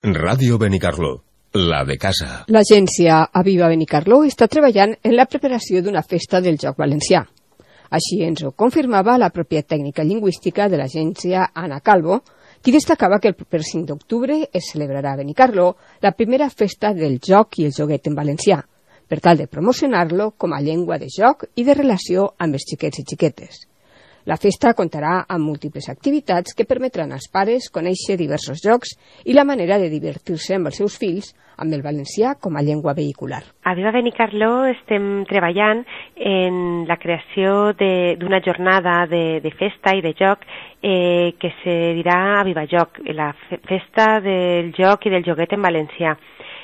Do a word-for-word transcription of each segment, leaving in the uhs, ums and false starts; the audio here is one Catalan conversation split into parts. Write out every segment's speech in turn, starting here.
Ràdio Benicarló, la de casa. L'agència Aviva Benicarló està treballant en la preparació d'una festa del joc valencià. Així ens ho confirmava la pròpia tècnica lingüística de l'agència, Anna Calvo, qui destacava que el proper cinc d'octubre es celebrarà a Benicarló la primera festa del joc i el joguet en valencià, per tal de promocionar-lo com a llengua de joc i de relació amb els xiquets i xiquetes. La festa comptarà amb múltiples activitats que permetran als pares conèixer diversos jocs i la manera de divertir-se amb els seus fills amb el valencià com a llengua vehicular. A Viva Benicarló estem treballant en la creació d'una jornada de, de festa i de joc eh, que se dirà a Viva Joc, la festa del joc i del joguet en valencià.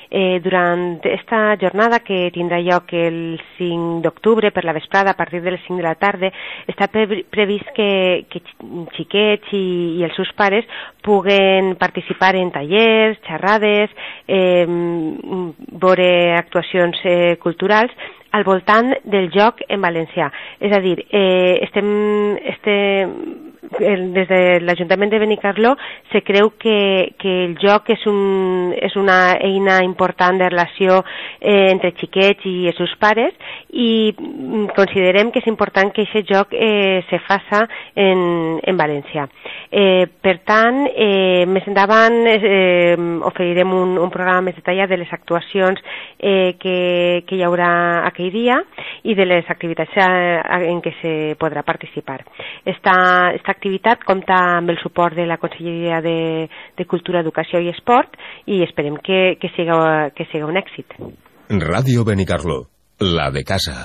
Eh, durant esta jornada, que tindrà lloc el cinc d'octubre per la vesprada a partir de les cinc de la tarda, està pre previst que, que xiquets i, i els seus pares puguen participar en tallers, xerrades, eh, veure actuacions eh, culturals al voltant del joc en valencià. És a dir, eh, estem... estem des de l'Ajuntament de Benicarló se creu que, que el joc és, un, és una eina important de relació eh, entre xiquets i els seus pares i considerem que és important que aquest joc eh, se faça en, en valencià. Eh, per tant, eh, més endavant eh, oferirem un, un programa més detallat de les actuacions eh, que, que hi haurà aquell dia i de les activitats en què se podrà participar. Esta, esta activitat compta amb el suport de la Conselleria de, de Cultura, Educació i Esport i esperem que, que, siga, que siga un èxit. Ràdio Benicarló, la de casa.